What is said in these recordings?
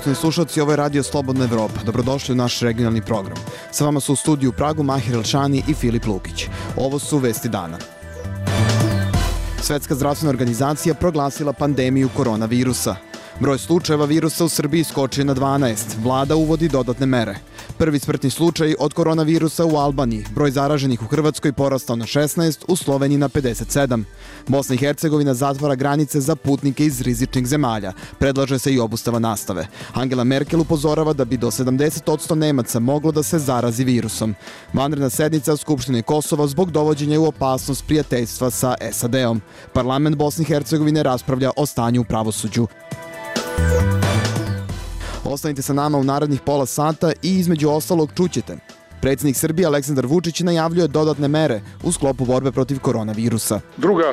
poštovani slušalci, ovo je Radio Slobodna Evropa. Dobrodošli u naš regionalni program. Sa vama su u studiju u Pragu Mahir Elšani i Filip Lukić. Ovo su vesti dana. Svetska zdravstvena organizacija proglasila pandemiju koronavirusa. Broj slučajeva virusa u Srbiji skočio na 12. Vlada uvodi dodatne mere. Prvi smrtni slučaj od koronavirusa u Albaniji. Broj zaraženih u Hrvatskoj porastao na 16, u Sloveniji na 57. Bosna i Hercegovina zatvara granice za putnike iz rizičnih zemalja. Predlaže se i obustava nastave. Angela Merkel upozorava da bi do 70% Nemaca moglo da se zarazi virusom. Vanredna sednica Skupštine Kosova zbog dovođenja u opasnost prijateljstva sa SAD-om. Parlament Bosne i Hercegovine raspravlja o stanju u pravosuđu. Ostanite sa nama u narednih pola sata i između ostalog čućete. Predsjednik Srbije Aleksandar Vučić najavljuje dodatne mere u sklopu borbe protiv koronavirusa. Druga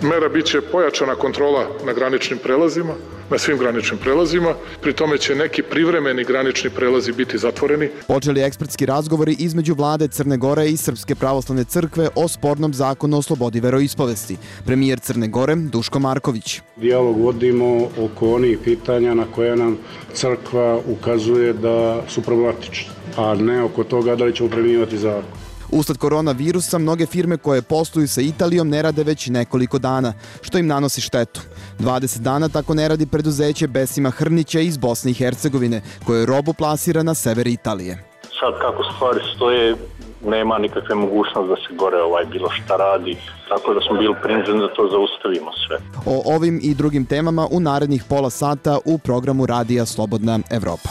mera biće pojačana kontrola na graničnim prelazima, na svim graničnim prelazima. Pri tome će neki privremeni granični prelazi biti zatvoreni. Počeli ekspertski razgovori između vlade Crne Gore i Srpske pravoslavne crkve o spornom zakonu o slobodi veroispovesti. Premijer Crne Gore Duško Marković. Dijalog vodimo oko onih pitanja na koje nam crkva ukazuje da su problematične, a ne oko toga da li ćemo primjenjivati zakon. Usled koronavirusa, mnoge firme koje posluju sa Italijom ne rade već nekoliko dana, što im nanosi štetu. 20 dana tako ne radi preduzeće Besima Hrnića iz Bosne i Hercegovine, koje robu plasira na sever Italije. Sad kako stvari stoje, nema nikakve mogućnosti da se gore bilo šta radi, tako da smo bili prinuđeni da to zaustavimo sve. O ovim i drugim temama u narednih pola sata u programu Radija Slobodna Evropa.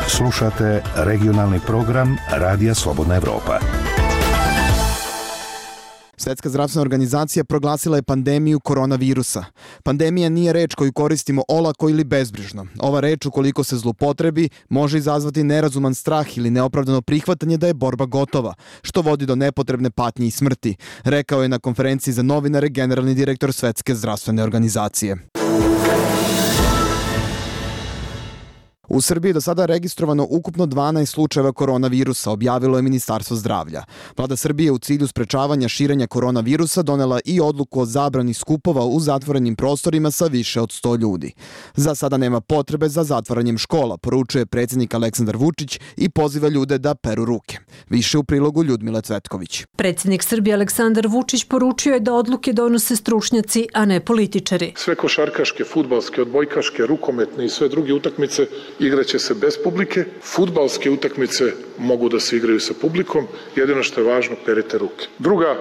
Slušate regionalni program Radija Slobodna Evropa. Svetska zdravstvena organizacija proglasila je pandemiju koronavirusa. Pandemija nije reč koju koristimo olako ili bezbrižno. Ova reč, ukoliko se zlupotrebi, može izazvati nerazuman strah ili neopravdano prihvatanje da je borba gotova, što vodi do nepotrebne patnje i smrti, rekao je na konferenciji za novinare generalni direktor Svetske zdravstvene organizacije. U Srbiji je do sada registrovano ukupno 12 slučajeva koronavirusa, objavilo je Ministarstvo zdravlja. Vlada Srbije u cilju sprečavanja širenja koronavirusa donela i odluku o zabrani skupova u zatvorenim prostorima sa više od 100 ljudi. Za sada nema potrebe za zatvaranjem škola, poručuje predsjednik Aleksandar Vučić i poziva ljude da peru ruke. Više u prilogu Ljudmile Cvetković. Predsjednik Srbije Aleksandar Vučić poručio je da odluke donose stručnjaci, a ne političari. Sve košarkaške, fudbalske, odbojkaške, rukometne i sve druge utakmice igraće se bez publike. Fudbalske utakmice mogu da se igraju sa publikom. Jedino što je važno, perite ruke. Druga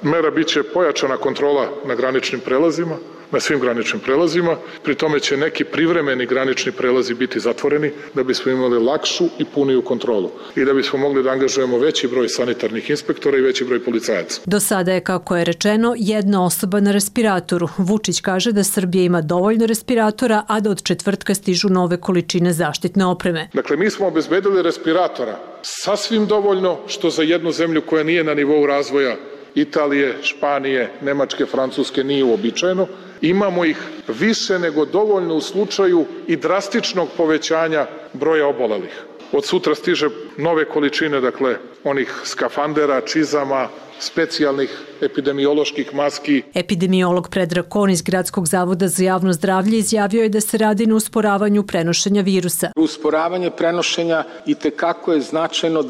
mera biće pojačana kontrola na graničnim prelazima, na svim graničnim prelazima. Pri tome će neki privremeni granični prelazi biti zatvoreni da bismo imali lakšu i puniju kontrolu i da bismo mogli da angažujemo veći broj sanitarnih inspektora i veći broj policajaca. Do sada je, kako je rečeno, jedna osoba na respiratoru. Vučić kaže da Srbija ima dovoljno respiratora, a da od četvrtka stižu nove količine zaštitne opreme. Dakle, mi smo obezbedili respiratora sasvim dovoljno, što za jednu zemlju koja nije na nivou razvoja Italije, Španije, Nemačke, Francuske nije uobičajeno. Imamo ih više nego dovoljno u slučaju i drastičnog povećanja broja obolelih. Od sutra stiže nove količine, dakle, onih skafandera, čizama, specijalnih epidemioloških maski. Epidemiolog Predrag Kon iz Gradskog zavoda za javno zdravlje izjavio je da se radi na usporavanju prenošenja virusa. Usporavanje prenošenja itekako je značajno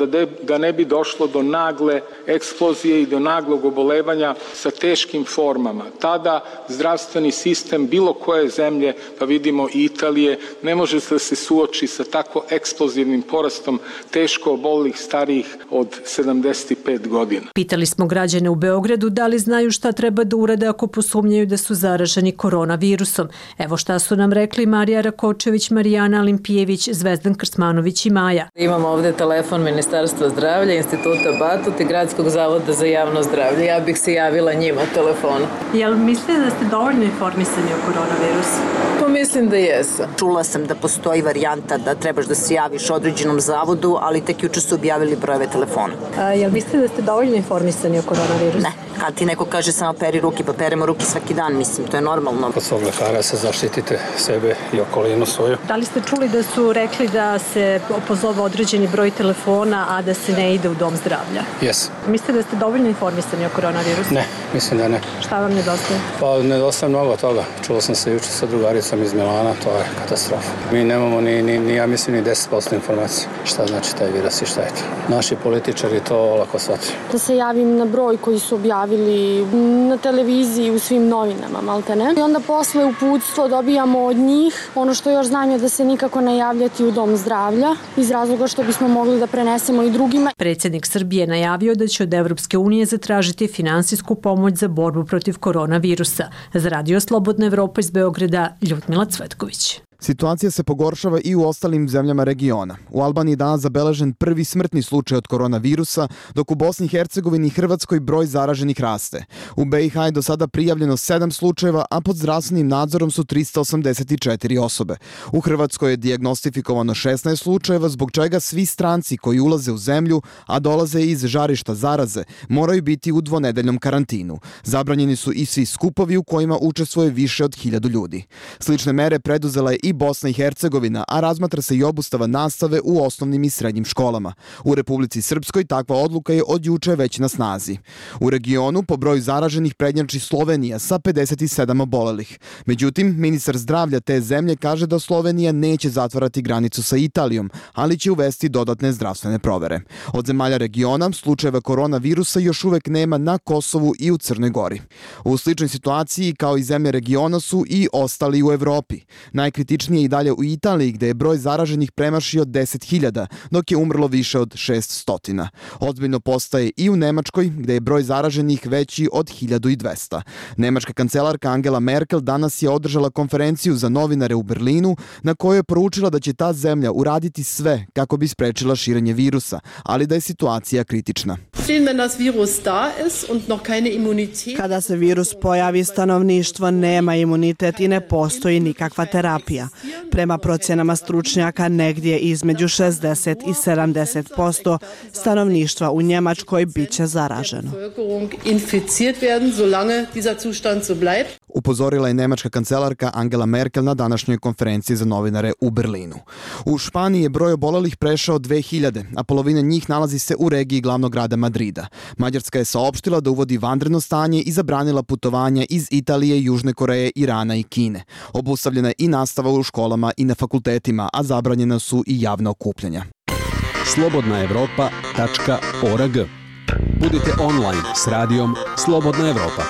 da ne bi došlo do nagle eksplozije i do naglog obolevanja sa teškim formama. Tada zdravstveni sistem bilo koje zemlje, pa vidimo i Italije, ne može da se suoči sa tako eksplozivnim porastom teško obolelih starijih od 75 godina. Pitali smo građane u Beogradu da li znaju šta treba da urade ako posumnjaju da su zaraženi koronavirusom. Evo šta su nam rekli Marija Rakočević, Marijana Olimpijević, Zvezdan Krsmanović i Maja. Imamo ovdje telefon Ministarstva zdravlja, Instituta Batut i Gradskog zavoda za javno zdravlje. Ja bih se javila njima telefonu. Jel mislite da ste dovoljno informisani o koronavirusu? Pa mislim da jesam. Čula sam da postoji varijanta da trebaš da se javiš određenom zavodu, ali tek juče su objavili brojeve telefona. Jel mislite da ste dovoljno informisani o koronavirusu? Ne. Kad ti neko kaže samo peri ruke, pa peremo ruke svaki dan, mislim, to je normalno. Kod svog lekara se zaštitite sebe i okolinu svoju. Da li ste čuli da su rekli da se pozove određeni broj telefona, a da se ne ide u dom zdravlja? Jes. Mislite da ste dovoljno informisani o koronavirusu? Ne, mislim da ne. Šta vam nedostaje? Pa nedostaje mnogo toga. Čuo sam se jučer sa drugaricom iz Milana, to je katastrofa. Mi nemamo ja mislim ni 10% informacije šta znači taj virus i šta je to. Naši političari to olako shvataju. Da se javim na broj koji su objavili na televiziji, u svim novinama, maltene. I onda posle uputstvo dobijamo od njih. Ono što još znam je da se nikako ne javljati u dom zdravlja, iz razloga što bismo mogli da prenesemo i drugima. Predsjednik Srbije najavio da će od Evropske unije zatražiti finansijsku pomoć za borbu protiv koronavirusa. Za Radio Slobodna Evropa iz Beograda, Ljudmila Cvetković. Situacija se pogoršava i u ostalim zemljama regiona. U Albaniji je danas zabeležen prvi smrtni slučaj od koronavirusa, dok u Bosni i Hercegovini i Hrvatskoj broj zaraženih raste. U BiH je do sada prijavljeno 7 slučajeva, a pod zdravstvenim nadzorom su 384 osobe. U Hrvatskoj je dijagnostifikovano 16 slučajeva, zbog čega svi stranci koji ulaze u zemlju, a dolaze iz žarišta zaraze, moraju biti u dvonedeljnom karantinu. Zabranjeni su i svi skupovi u kojima učestvuje više od 1000 ljudi. Slične mere preduzela je i Bosna i Hercegovina, a razmatra se i obustava nastave u osnovnim i srednjim školama. U Republici Srpskoj takva odluka je od juče već na snazi. U regionu po broju zaraženih prednjači Slovenija sa 57 obolelih. Međutim, ministar zdravlja te zemlje kaže da Slovenija neće zatvarati granicu sa Italijom, ali će uvesti dodatne zdravstvene provere. Od zemalja regiona slučajeva koronavirusa još uvek nema na Kosovu i u Crnoj Gori. U sličnoj situaciji kao i zemlje regiona su i ostali u Evropi. Najkritičnije i dalje u Italiji, gde je broj zaraženih premašio 10.000, dok je umrlo više od 600. Ozbiljno postaje i u Nemačkoj, gde je broj zaraženih veći od 1200. Nemačka kancelarka Angela Merkel danas je održala konferenciju za novinare u Berlinu, na kojoj je poručila da će ta zemlja uraditi sve kako bi sprečila širenje virusa, ali da je situacija kritična. Kada se virus pojavi, stanovništvo nema imunitet i ne postoji nikakva terapija. Prema procjenama stručnjaka, negdje između 60 i 70% stanovništva u Njemačkoj biće zaraženo. Upozorila je nemačka kancelarka Angela Merkel na današnjoj konferenciji za novinare u Berlinu. U Španiji je broj obolelih prešao 2000, a polovina njih nalazi se u regiji glavnog grada Madrida. Mađarska je saopštila da uvodi vanredno stanje i zabranila putovanja iz Italije, Južne Koreje, Irana i Kine. Obustavljena je i nastava u školama i na fakultetima, a zabranjena su i javna okupljanja. slobodnaevropa.org. Budite online s radijom Slobodna Evropa.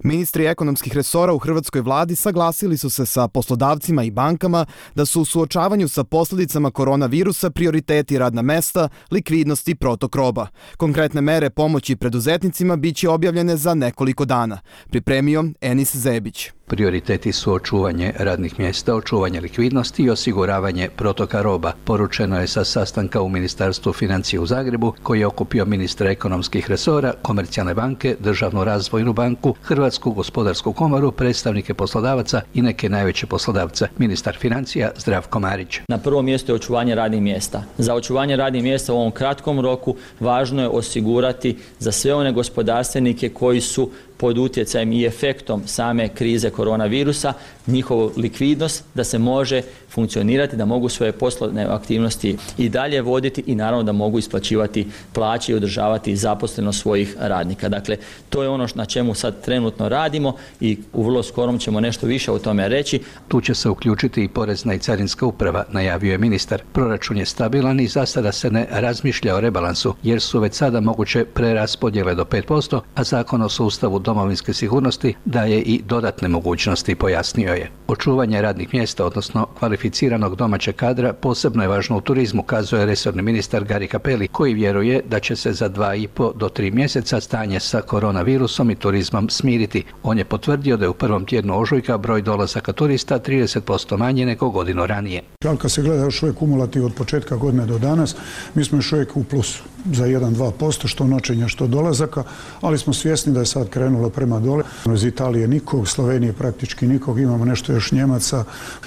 Ministri ekonomskih resora u hrvatskoj vladi saglasili su se sa poslodavcima i bankama da su u suočavanju sa posljedicama koronavirusa prioriteti radna mesta, likvidnost i protok roba. Konkretne mere pomoći preduzetnicima biće objavljene za nekoliko dana, pripremio Enis Zebić. Prioriteti su očuvanje radnih mjesta, očuvanje likvidnosti i osiguravanje protoka roba. Poručeno je sa sastanka u Ministarstvu financija u Zagrebu, koji je okupio ministra ekonomskih resora, komercijalne banke, Državnu razvojnu banku, Hrvatsku gospodarsku komoru, predstavnike poslodavaca i neke najveće poslodavce. Ministar financija Zdravko Marić. Na prvom mjestu je očuvanje radnih mjesta. Za očuvanje radnih mjesta u ovom kratkom roku važno je osigurati za sve one gospodarstvenike koji su pod utjecajem i efektom same krize koronavirusa, njihovu likvidnost da se može funkcionirati, da mogu svoje poslovne aktivnosti i dalje voditi i naravno da mogu isplaćivati plaće i održavati zaposlenost svojih radnika. Dakle, to je ono na čemu sad trenutno radimo i u vrlo skorom ćemo nešto više o tome reći. Tu će se uključiti i Porezna i Carinska uprava, najavio je ministar. Proračun je stabilan i za sada se ne razmišlja o rebalansu, jer su već sada moguće preraspodjele do 5%, a Zakon o sustavu domovinske sigurnosti daje i dodatne mogućnosti, pojasnio je. Očuvanje radnih mjesta, odnosno kvalificiranog domaćeg kadra, posebno je važno u turizmu, kazuje resorni ministar Gari Cappelli, koji vjeruje da će se za 2,5 do 3 mjeseca stanje sa koronavirusom i turizmom smiriti. On je potvrdio da je u prvom tjednu ožujka broj dolazaka turista 30% manje nego godinu ranije. Kad se gleda još uvijek kumulativ od početka godine do danas, mi smo još uvijek u plusu. za 1-2%, što noćenja, što dolazaka, ali smo svjesni da je sad krenulo prema dole. Iz Italije nikog, Slovenije praktički nikog, imamo nešto još Njemaca,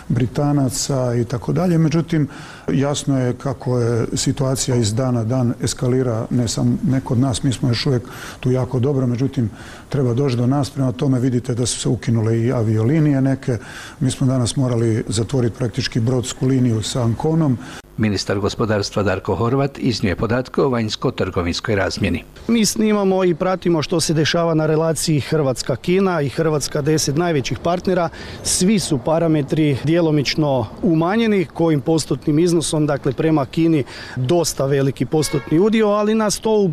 Britanaca i tako dalje. Međutim, jasno je kako je situacija iz dana dan eskalira, ne kod nas, mi smo još uvijek tu jako dobro, međutim, treba doći do nas. Prema tome vidite da su se ukinule i aviolinije neke. Mi smo danas morali zatvoriti praktički brodsku liniju sa Anconom. Ministar gospodarstva Darko Horvat iznio je podatke o vanjsko-trgovinskoj razmjeni. Mi snimamo i pratimo što se dešava na relaciji Hrvatska-Kina i Hrvatska 10 najvećih partnera. Svi su parametri djelomično umanjeni, kojim postotnim iznosom, dakle prema Kini dosta veliki postotni udio, ali nas to u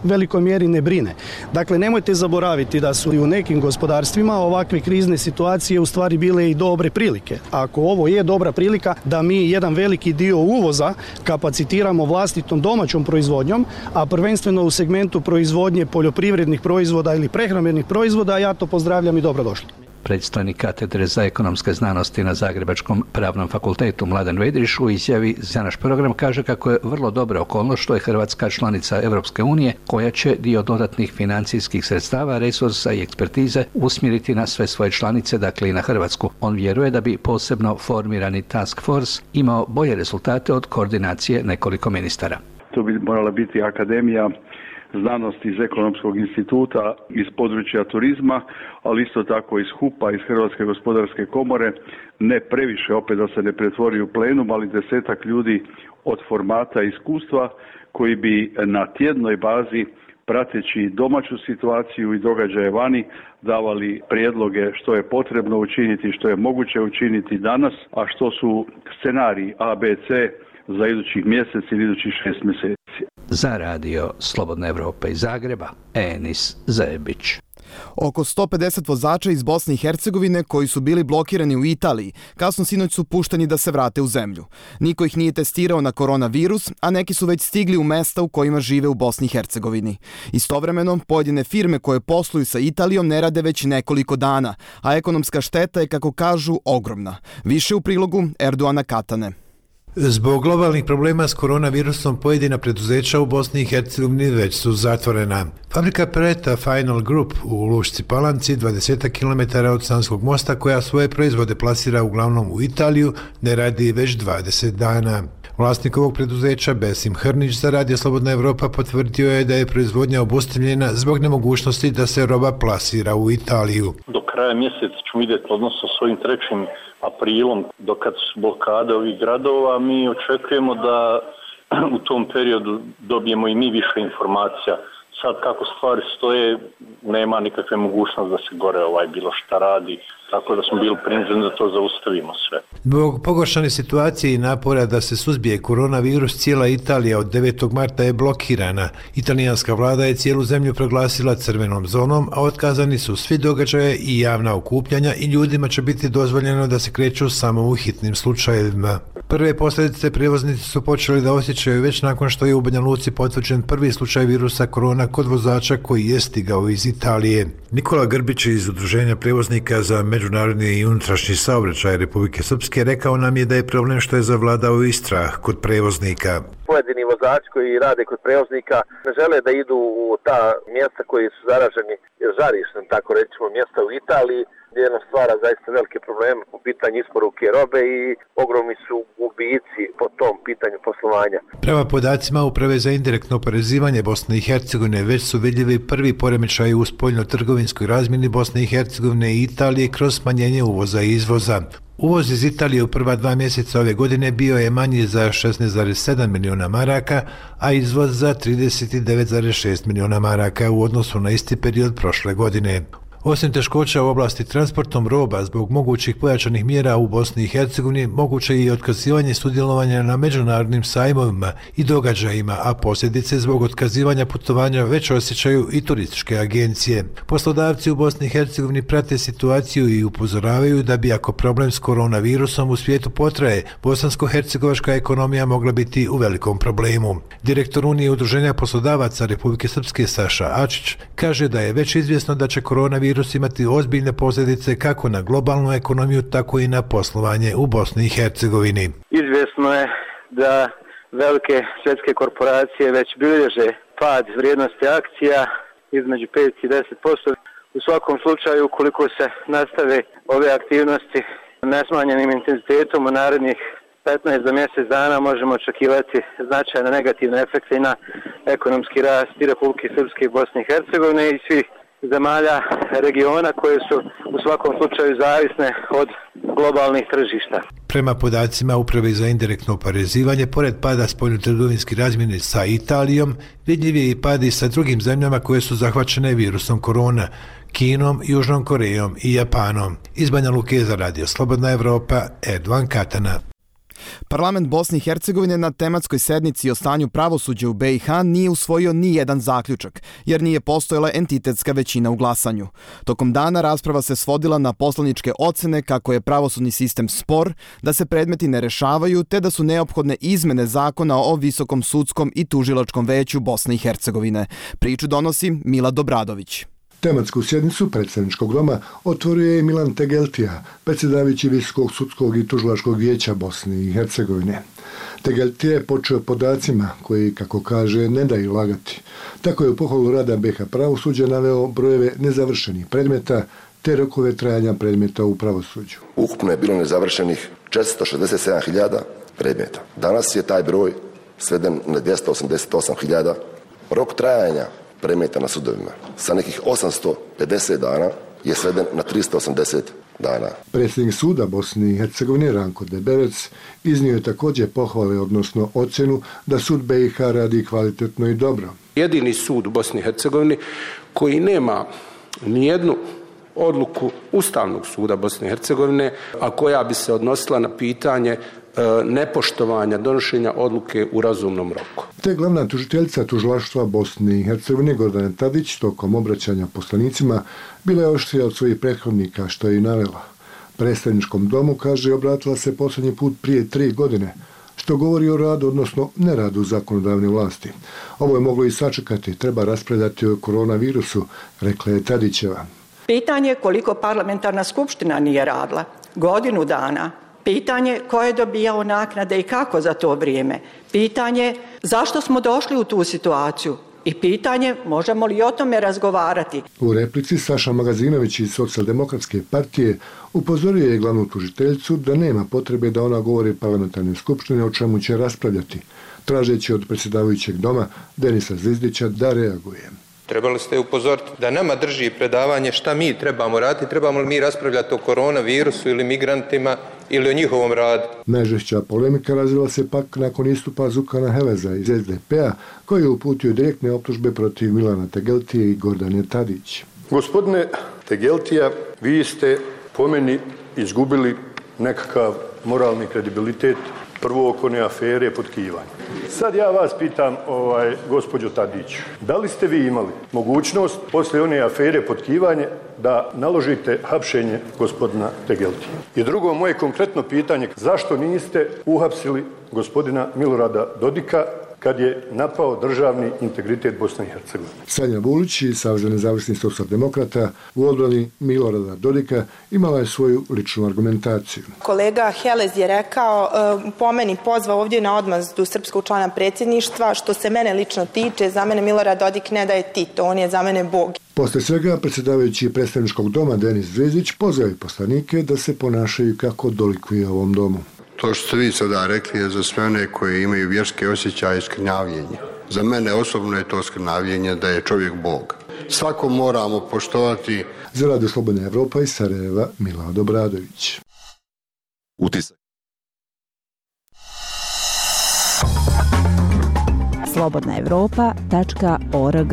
velikoj mjeri ne brine. Dakle, nemojte zaboraviti da su i u nekim gospodarstvima ovakve krizne situacije u stvari bile i dobre prilike. Ako ovo je dobra prilika da mi jedan veliki dio uvoza kapacitiramo vlastitom domaćom proizvodnjom, a prvenstveno u segmentu proizvodnje poljoprivrednih proizvoda ili prehrambenih proizvoda, ja to pozdravljam i dobrodošli. Predstojnik katedre za ekonomske znanosti na Zagrebačkom pravnom fakultetu Mladen Vedriš u izjavi za naš program kaže kako je vrlo dobra okolnost što je Hrvatska članica Europske unije koja će dio dodatnih financijskih sredstava, resursa i ekspertize usmjeriti na sve svoje članice, dakle i na Hrvatsku. On vjeruje da bi posebno formirani task force imao bolje rezultate od koordinacije nekoliko ministara. To bi morala biti akademija znanosti iz Ekonomskog instituta, iz područja turizma, ali isto tako iz HUP-a, iz Hrvatske gospodarske komore, ne previše, opet da se ne pretvori u plenum, ali 10-ak ljudi od formata iskustva koji bi na tjednoj bazi, prateći domaću situaciju i događaje vani, davali prijedloge što je potrebno učiniti, što je moguće učiniti danas, a što su scenariji A, B, C za idućih mjesec ili idućih 6 mjeseci. Za radio Slobodna Evropa iz Zagreba, Enis Zebić. Oko 150 vozača iz Bosne i Hercegovine koji su bili blokirani u Italiji, kasno sinoć su pušteni da se vrate u zemlju. Niko ih nije testirao na koronavirus, a neki su već stigli u mesta u kojima žive u Bosni i Hercegovini. Istovremeno, pojedine firme koje posluju sa Italijom ne rade već nekoliko dana, a ekonomska šteta je, kako kažu, ogromna. Više u prilogu Erdoana Katane. Zbog globalnih problema s koronavirusom pojedina preduzeća u Bosni i Hercegovini već su zatvorena. Fabrika Pereta Final Group u Lušci Palanci, 20 km od Sanskog mosta, koja svoje proizvode plasira uglavnom u Italiju, ne radi već 20 dana. Vlasnik ovog preduzeća, Besim Hrnić, za Radio Slobodna Evropa potvrdio je da je proizvodnja obustavljena zbog nemogućnosti da se roba plasira u Italiju. Do kraja mjeseca ćemo vidjeti, odnosno s ovim 3. aprilom, dokad su blokade ovih gradova, mi očekujemo da u tom periodu dobijemo i mi više informacija. Sad kako stvari stoje, nema nikakve mogućnosti da se gore bilo šta radi, tako da smo bili prinuđeni da to zaustavimo sve. Zbog pogoršane situacije i napora da se suzbije koronavirus, cijela Italija od 9. marta je blokirana. Italijanska vlada je cijelu zemlju proglasila crvenom zonom, a otkazani su svi događaje i javna okupljanja i ljudima će biti dozvoljeno da se kreću samo u hitnim slučajevima. Prve posljedice prijevoznici su počeli da osjećaju već nakon što je u Banja Luci potvrđen prvi slučaj virusa korona kod vozača koji je stigao iz Italije. Nikola Grbić iz Udruženja prijevoznika za međunarodni i unutrašnji saobraćaj Republike Srpske rekao nam je da je problem što je zavladao i strah kod prijevoznika. Pojedini vozači koji rade kod prijevoznika ne žele da idu u ta mjesta koji su zaraženi žarištem, tako rećemo, mjesta u Italiji, gdje nam stvara zaista velike probleme po pitanju isporuke robe i ogromni su gubici po tom pitanju poslovanja. Prema podacima Uprave za indirektno oporezivanje Bosne i Hercegovine već su vidljivi prvi poremećaji u spoljno-trgovinskoj razmjeni Bosne i Hercegovine i Italije kroz smanjenje uvoza i izvoza. Uvoz iz Italije u prva 2 mjeseca ove godine bio je manji za 16,7 milijuna maraka, a izvoz za 39,6 milijuna maraka u odnosu na isti period prošle godine. Osim teškoća u oblasti transportom roba zbog mogućih pojačanih mjera u Bosni i Hercegovini, moguće je i otkazivanje sudjelovanja na međunarodnim sajmovima i događajima, a posljedice zbog otkazivanja putovanja već osjećaju i turističke agencije. Poslodavci u Bosni i Hercegovini prate situaciju i upozoravaju da bi, ako problem s koronavirusom u svijetu potraje, bosansko-hercegovačka ekonomija mogla biti u velikom problemu. Direktor Unije udruženja poslodavaca Republike Srpske Saša Ačić kaže da je već izvjesno da će koronavirus imati ozbiljne posljedice kako na globalnu ekonomiju, tako i na poslovanje u Bosni i Hercegovini. Izvjesno je da velike svjetske korporacije već bilježe pad vrijednosti akcija između 5 i 10%. U svakom slučaju, ukoliko se nastave ove aktivnosti nesmanjenim intenzitetom u narednih 15 do mjesec dana, možemo očekivati značajne negativne efekte i na ekonomski rast i Republike Srpske i Bosne i Hercegovine i svih zemalja regiona koje su u svakom slučaju zavisne od globalnih tržišta. Prema podacima Uprave za indirektno oporezivanje, pored pada spoljnotrgovinskih razmjene sa Italijom, vidljiv je i pad i sa drugim zemljama koje su zahvaćene virusom korona, Kinom, Južnom Korejom i Japanom. Iz Banja Luke za Radio Slobodna Evropa, Erdovan Katana. Parlament Bosne i Hercegovine na tematskoj sednici o stanju pravosuđa u BiH nije usvojio ni jedan zaključak, jer nije postojala entitetska većina u glasanju. Tokom dana rasprava se svodila na poslaničke ocene kako je pravosudni sistem spor, da se predmeti ne rešavaju, te da su neophodne izmene zakona o Visokom sudskom i tužilačkom veću Bosne i Hercegovine. Priču donosi Mila Dobradović. Tematsku sjednicu predstavničkog doma otvorio je Milan Tegeltija, predsjedavajući Visokog sudskog i tužilačkog vijeća Bosne i Hercegovine. Tegeltija je počeo podacima koji, kako kaže, ne daju lagati. Tako je u pohvalu rada BiH pravosuđa naveo brojeve nezavršenih predmeta te rokove trajanja predmeta u pravosuđu. Ukupno je bilo nezavršenih 467.000 predmeta. Danas je taj broj sveden na 288.000. Rok trajanja predmeta na sudovima sa nekih 850 dana je sveden na 380 dana. Predsjednik suda Bosne i Hercegovine Ranko Debevec iznio je također pohvale, odnosno ocjenu da sud BiH radi kvalitetno i dobro. Jedini sud u Bosni i Hercegovini koji nema nijednu odluku Ustavnog suda Bosne i Hercegovine, a koja bi se odnosila na pitanje nepoštovanja donošenja odluke u razumnom roku. Te glavna tužiteljica tužilaštva Bosne i Hercegovine Gordana Tadić tokom obraćanja poslanicima bila je oštrija od svojih prethodnika, što je i navela. Predstavničkom domu, kaže, obratila se posljednji put prije 3 godine, što govori o radu, odnosno neradu zakonodavne vlasti. Ovo je moglo i sačekati, treba raspravljati o koronavirusu, rekla je Tadićeva. Pitanje koliko parlamentarna skupština nije radila, godinu dana. Pitanje ko je dobijao naknade i kako za to vrijeme. Pitanje zašto smo došli u tu situaciju. I pitanje možemo li o tome razgovarati. U replici Saša Magazinović iz Socijaldemokratske partije upozorio je glavnu tužiteljicu da nema potrebe da ona govori parlamentarnoj skupštini o čemu će raspravljati, tražeći od predsjedavajućeg doma Denisa Zvizdića da reaguje. Trebali ste upozoriti da nama drži predavanje šta mi trebamo raditi, trebamo li mi raspravljati o koronavirusu ili migrantima ili o njihovom radu. Najžešća polemika razvila se pak nakon istupa Zukana Heleza iz SDP-a, koji je uputio direktne optužbe protiv Milana Tegeltije i Gordane Tadić. Gospodine Tegeltija, vi ste po meni izgubili nekakav moralni kredibilitet, prvo oko one afere potkivanja. Sad ja vas pitam, gospođo Tadić, da li ste vi imali mogućnost poslije one afere potkivanje da naložite hapšenje gospodina Tegeltija? I drugo moje konkretno pitanje, zašto niste uhapsili gospodina Milorada Dodika kad je napao državni integritet Bosne i Hercegovine? Sanja Vulić iz Saveza nezavisnih socijaldemokrata u odbrani Milorada Dodika imala je svoju ličnu argumentaciju. Kolega Helez je rekao, po meni pozvao ovdje na odmazdu srpskog člana predsjedništva. Što se mene lično tiče, za mene Milorad Dodik ne da je Tito, on je za mene Bog. Posle svega, predsjedavajući predstavničkog doma Denis Zvizdić pozvao poslanike da se ponašaju kako dolikuje ovom domu. To što ste vi sada rekli je za sve one koje imaju vjerske osjećaje i skrnavljenje. Za mene osobno je to skrnavljenje da je čovjek Bog. Svako moramo poštovati. Za Radio Slobodna Evropa iz Sarajeva, Mila Dobradović. Utisak. slobodnaevropa.org.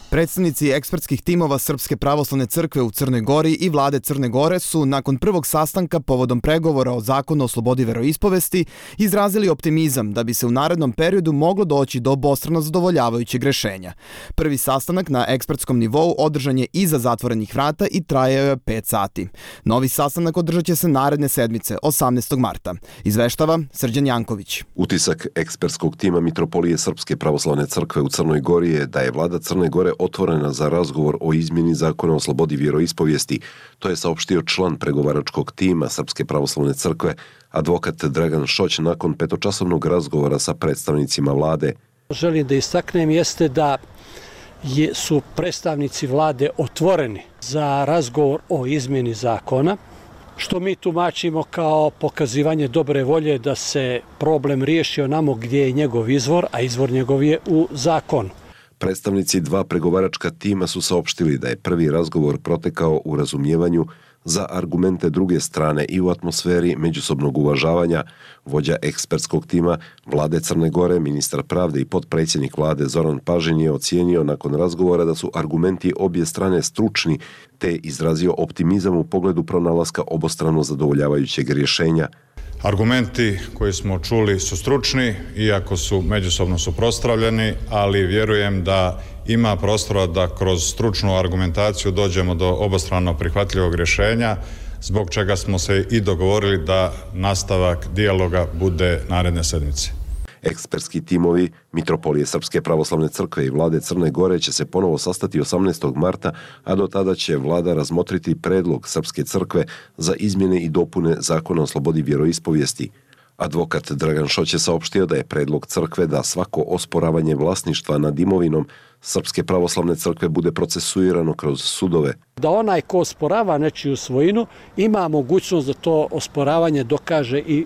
Predstavnici ekspertskih timova Srpske pravoslavne crkve u Crnoj Gori i vlade Crne Gore su nakon prvog sastanka povodom pregovora o zakonu o slobodi veroispovesti izrazili optimizam da bi se u narednom periodu moglo doći do obostrano zadovoljavajućeg rešenja. Prvi sastanak na ekspertskom nivou održan je iza zatvorenih vrata i trajao je 5 sati. Novi sastanak održat će se naredne sedmice, 18. marta. Izveštava Srđan Janković. Utisak ekspertskog tima Mitropolije Srpske pravoslavne crkve u Crnoj Gori je da je vlada Crne Gore otvorena za razgovor o izmjeni zakona o slobodi vjeroispovijesti. To je saopštio član pregovaračkog tima Srpske pravoslavne crkve, advokat Dragan Šoć, nakon petočasovnog razgovora sa predstavnicima vlade. Želim da istaknem jeste da su predstavnici vlade otvoreni za razgovor o izmjeni zakona, što mi tumačimo kao pokazivanje dobre volje da se problem riješi onamo gdje je njegov izvor, a izvor njegov je u zakonu. Predstavnici dva pregovaračka tima su saopštili da je prvi razgovor protekao u razumijevanju za argumente druge strane i u atmosferi međusobnog uvažavanja. Vođa ekspertskog tima vlade Crne Gore, ministar pravde i potpredsjednik vlade Zoran Pažin je ocijenio nakon razgovora da su argumenti obje strane stručni, te izrazio optimizam u pogledu pronalaska obostrano zadovoljavajućeg rješenja. Argumenti koje smo čuli su stručni, iako su međusobno suprotstavljeni, ali vjerujem da ima prostora da kroz stručnu argumentaciju dođemo do obostrano prihvatljivog rješenja, zbog čega smo se i dogovorili da nastavak dijaloga bude naredne sedmice. Ekspertski timovi Mitropolije Srpske pravoslavne crkve i vlade Crne Gore će se ponovo sastati 18. marta, a do tada će vlada razmotriti predlog Srpske crkve za izmjene i dopune zakona o slobodi vjeroispovijesti. Advokat Dragan Šoć je saopštio da je predlog crkve da svako osporavanje vlasništva nad imovinom Srpske pravoslavne crkve bude procesuirano kroz sudove. Da onaj ko osporava nečiju svojinu ima mogućnost da to osporavanje dokaže i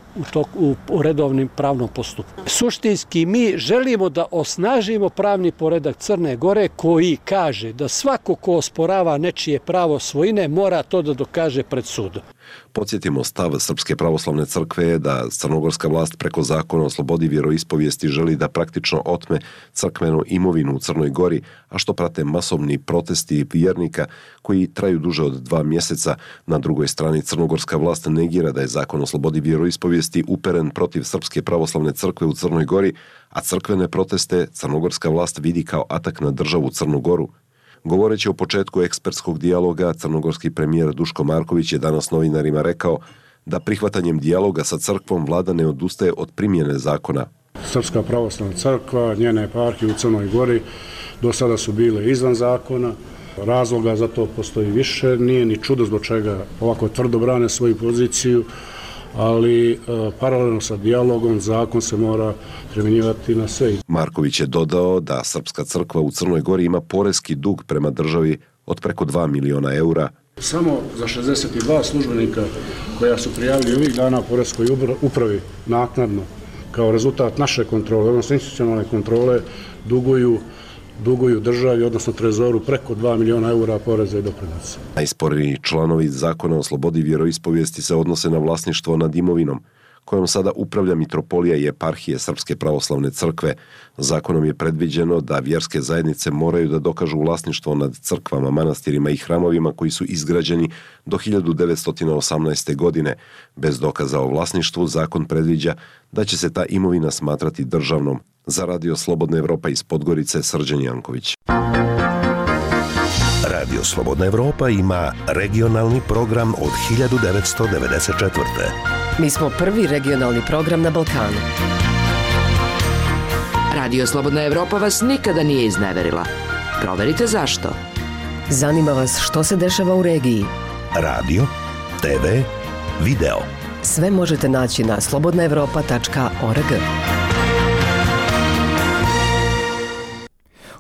u redovnim pravnom postupku. Suštinski mi želimo da osnažimo pravni poredak Crne Gore koji kaže da svako ko osporava nečije pravo svojine mora to da dokaže pred sudom. Podsjetimo, stav Srpske pravoslavne crkve je da crnogorska vlast preko zakona o slobodi vjeroispovijesti želi da praktično otme crkvenu imovinu u Crnoj Gori, a što prate masovni protesti vjernika koji traju duže od 2 mjeseca. Na drugoj strani crnogorska vlast negira da je zakon o slobodi vjeroispovijesti uperen protiv Srpske pravoslavne crkve u Crnoj Gori, a crkvene proteste crnogorska vlast vidi kao atak na državu Crnu Goru. Govoreći o početku ekspertskog dijaloga, crnogorski premijer Duško Marković je danas novinarima rekao da prihvatanjem dijaloga sa crkvom vlada ne odustaje od primjene zakona. Srpska pravoslavna crkva, njene eparhije u Crnoj Gori do sada su bile izvan zakona. Razloga za to postoji više. Nije ni čudo zbog čega ovako tvrdo brane svoju poziciju, ali paralelno sa dijalogom zakon se mora primjenjivati na sve. Marković je dodao da Srpska crkva u Crnoj Gori ima poreski dug prema državi od preko 2 miliona eura. Samo za 62 službenika koja su prijavili ovih dana poreskoj upravi naknadno kao rezultat naše kontrole, odnosno institucionalne kontrole, duguju državi, odnosno trezoru, preko 2 miliona eura poreza i doprinosa. Najsporniji članovi zakona o slobodi vjeroispovijesti se odnose na vlasništvo nad imovinom, kojom sada upravlja Mitropolija i eparhije Srpske pravoslavne crkve. Zakonom je predviđeno da vjerske zajednice moraju da dokažu vlasništvo nad crkvama, manastirima i hramovima koji su izgrađeni do 1918. godine. Bez dokaza o vlasništvu zakon predviđa da će se ta imovina smatrati državnom. Za Radio Slobodna Evropa iz Podgorice, Srđan Janković. Radio Slobodna Evropa ima regionalni program od 1994. Mi smo prvi regionalni program na Balkanu. Radio Slobodna Evropa vas nikada nije izneverila. Proverite zašto. Zanima vas što se dešava u regiji. Radio, TV, video. Sve možete naći na slobodnaevropa.org.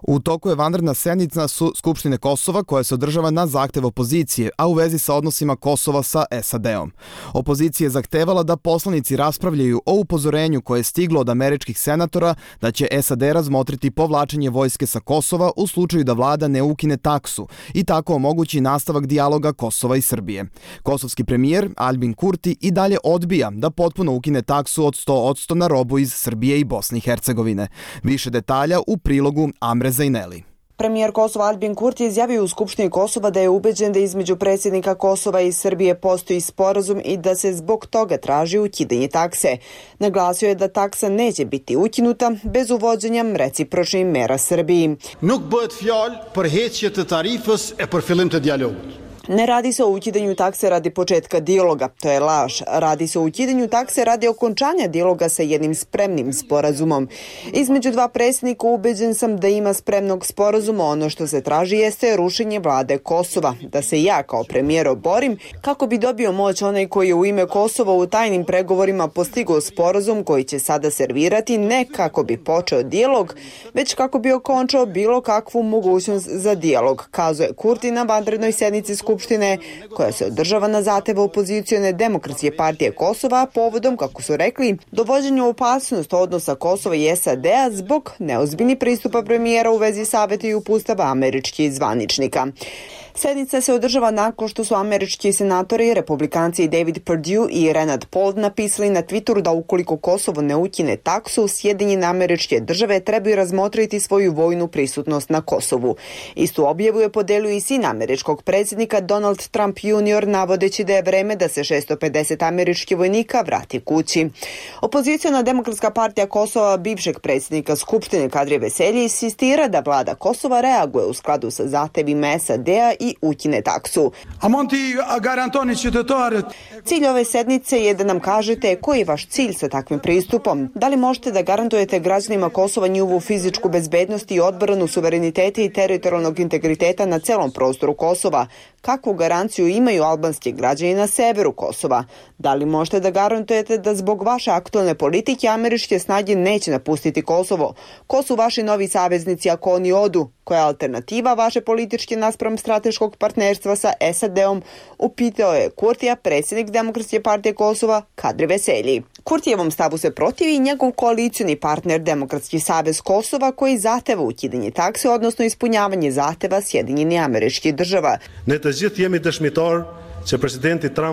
U toku je vanredna sednica Skupštine Kosova koja se održava na zahtev opozicije, a u vezi sa odnosima Kosova sa SAD-om. Opozicija je zahtevala da poslanici raspravljaju o upozorenju koje je stiglo od američkih senatora da će SAD razmotriti povlačenje vojske sa Kosova u slučaju da vlada ne ukine taksu i tako omogući nastavak dijaloga Kosova i Srbije. Kosovski premijer Albin Kurti i dalje odbija da potpuno ukine taksu od 100% na robu iz Srbije i Bosne i Hercegovine. Više detalja u prilogu Amre Zaineli. Premijer Kosova Albin Kurti izjavio u Skupštini Kosova da je ubeđen da između predsjednika Kosova i Srbije postoji sporazum i da se zbog toga traži ukidanje takse. Naglasio je da taksa neće biti ukinuta bez uvođenja recipročnih mera Srbiji. Nuk bëhet fjalë për heqje të tarifës e për fillim të dijalogut. Ne radi se o ukidanju takse radi početka dijaloga, to je laž. Radi se o ukidanju takse radi okončanja dijaloga sa jednim spremnim sporazumom. Između dva predsjednika ubeđen sam da ima spremnog sporazuma. Ono što se traži jeste rušenje vlade Kosova. Da se ja kao premijer borim kako bi dobio moć onaj koji je u ime Kosova u tajnim pregovorima postigao sporazum koji će sada servirati ne kako bi počeo dijalog, već kako bi okončao bilo kakvu mogućnost za dijalog, kazuje Kurti na vanrednoj sednici Skupštine koja se održava na zahtev opozicione Demokratske partije Kosova povodom, kako su rekli, dovođenju u opasnost odnosa Kosova i SAD-a zbog neozbiljnih pristupa premijera u vezi savjeta i upustava američkih zvaničnika. Sednica se održava nakon što su američki senatori, republikanci David Perdue i Renard Paul napisali na Twitteru da ukoliko Kosovo ne ukine taksu, Sjedinjene Američke Države trebaju razmotriti svoju vojnu prisutnost na Kosovu. Istu objavu je podelio i sin američkog predsjednika Donald Trump Jr. navodeći da je vreme da se 650 američkih vojnika vrati kući. Opoziciona Demokratska partija Kosova bivšeg predsjednika Skupštine Kadrija Veselji insistira da vlada Kosova reaguje u skladu sa zahtevima SAD-a i ukine taksu. Cilj ove sednice je da nam kažete koji je vaš cilj sa takvim pristupom. Da li možete da garantujete građanima Kosova njihovu fizičku bezbednost i odbranu suvereniteta i teritorijalnog integriteta na celom prostoru Kosova? Kakvu garanciju imaju albanski građani na severu Kosova? Da li možete da garantujete da zbog vaše aktualne politike američke snage neće napustiti Kosovo? Ko su vaši novi saveznici ako oni odu? Koja je alternativa vaše političke naspram strateškog partnerstva sa SAD-om? Upitao je Kurtija, predsjednik Demokratske partije Kosova, Kadri Veselji. Kurtijevom stavu se protivi i njegov koalicioni partner Demokratski savez Kosova koji zahteva ukidanje takse, odnosno ispunjavanje zahteva Sjedinjenih Američkih Država.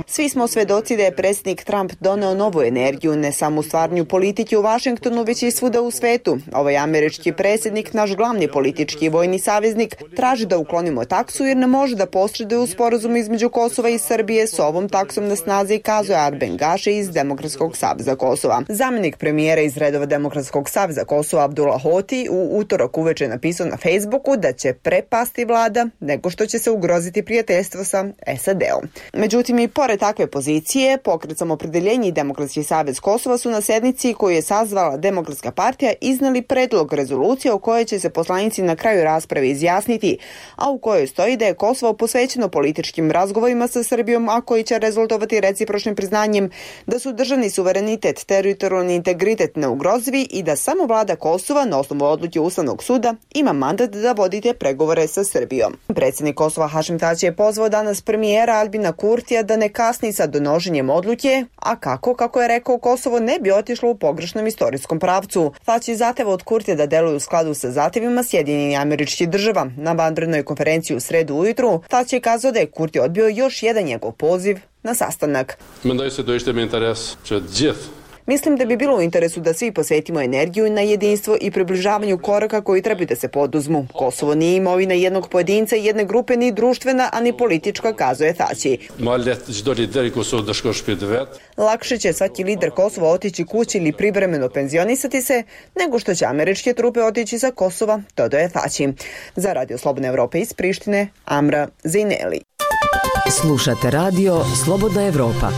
Svi smo svedoci da je predsjednik Trump doneo novu energiju, ne samo u stvaranju politike u Vašingtonu, već i svuda u svetu. Ovaj američki predsjednik, naš glavni politički i vojni saveznik, traži da uklonimo taksu jer ne može da posreduje u sporazumu između Kosova i Srbije s ovom taksom na snazi, kazuje Arben Gaši iz Demokratskog saveza Kosova. Zamjenik premijera iz redova Demokratskog saveza Kosova Abdullah Hoti u utorak uveče napisao na Facebooku da će prepasti vlada nego što će se ugroziti prijateljstvo sa SAD-om. Međutim, i pored takve pozicije, Pokret Samoopredeljenje i Demokratski savez Kosova su na sednici koju je sazvala Demokratska partija iznali predlog rezolucije o kojoj će se poslanici na kraju rasprave izjasniti, a u kojoj stoji da je Kosovo posvećeno političkim razgovorima sa Srbijom, a koji će rezultovati recipročnim priznanjem da su državni suverenitet, teritorijalni integritet neugrozivi i da samo vlada Kosova na osnovu odluke Ustavnog suda ima mandat da vodite pregovore sa Srbijom. Predsjednik Kosova Hašim Tači je pozvao danas premijera Albina Kurtija da ne kasni sa donošenjem odluke, a kako je rekao, Kosovo ne bi otišlo u pogrešnom istorijskom pravcu. Tači zahteva od Kurtija da deluje u skladu sa zahtevima Sjedinjenih Američkih Država. Na vanrednoj konferenciji u sredu ujutru Tači je kazao da je Kurti odbio još jedan njegov poziv na sastanak. Mislim da bi bilo u interesu da svi posvetimo energiju na jedinstvo i približavanju koraka koji trebaju da se poduzmu. Kosovo nije imovina jednog pojedinca i jedne grupe, ni društvena, a ni politička, kazuje Tači. Lakše će svaki lider Kosova otići kući ili privremeno penzionisati se, nego što će američke trupe otići sa Kosova, dodaje Tači. Za Radio Slobodna Evropa iz Prištine, Amra Zejneli. Slušate radio Slobodna Evropa.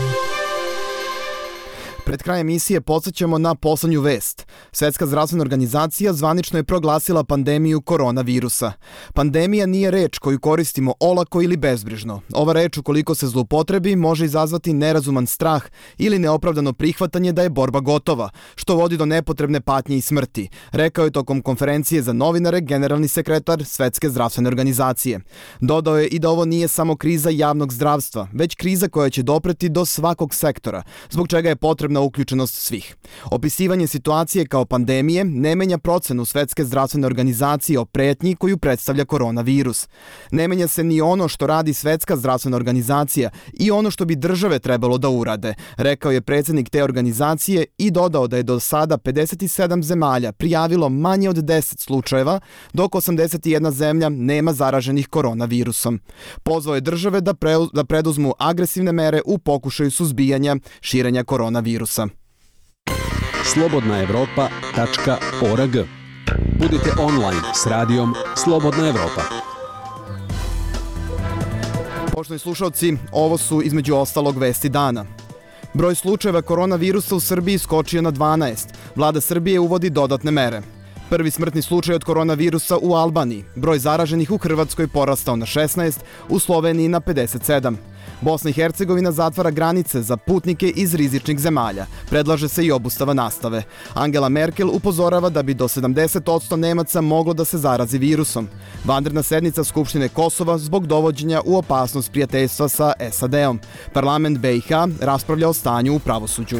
Pred krajem emisije podsjećamo na poslednju vest. Svetska zdravstvena organizacija zvanično je proglasila pandemiju koronavirusa. Pandemija nije reč koju koristimo olako ili bezbrižno. Ova reč, ukoliko se zloupotrebi, može izazvati nerazuman strah ili neopravdano prihvatanje da je borba gotova, što vodi do nepotrebne patnje i smrti, rekao je tokom konferencije za novinare generalni sekretar Svetske zdravstvene organizacije. Dodao je i da ovo nije samo kriza javnog zdravstva, već kriza koja će dopreti do svakog sektora, zbog čega je potrebna uključenost svih. Opisivanje situacije kao pandemije ne menja procenu Svetske zdravstvene organizacije o pretnji koju predstavlja koronavirus. Ne menja se ni ono što radi Svetska zdravstvena organizacija i ono što bi države trebalo da urade, rekao je predsjednik te organizacije i dodao da je do sada 57 zemalja prijavilo manje od 10 slučajeva, dok 81 zemlja nema zaraženih koronavirusom. Pozvao je države da preduzmu agresivne mere u pokušaju suzbijanja širenja koronavirusa. slobodnaevropa.org. Budite online s radijom Slobodna Evropa. Poštovani slušalci, ovo su između ostalog vesti dana. Broj slučajeva koronavirusa u Srbiji skočio na 12. Vlada Srbije uvodi dodatne mere. Prvi smrtni slučaj od koronavirusa u Albaniji. Broj zaraženih u Hrvatskoj porastao na 16, u Sloveniji na 57. Bosna i Hercegovina zatvara granice za putnike iz rizičnih zemalja. Predlaže se i obustava nastave. Angela Merkel upozorava da bi do 70% Nemaca moglo da se zarazi virusom. Vanredna sednica Skupštine Kosova zbog dovođenja u opasnost prijateljstva sa SAD-om. Parlament BiH raspravlja o stanju u pravosuđu.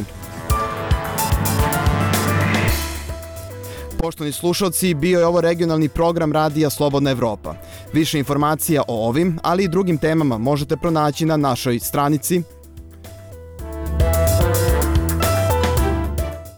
Poštovani slušalci, bio je ovo regionalni program Radija Slobodna Evropa. Više informacija o ovim, ali i drugim temama možete pronaći na našoj stranici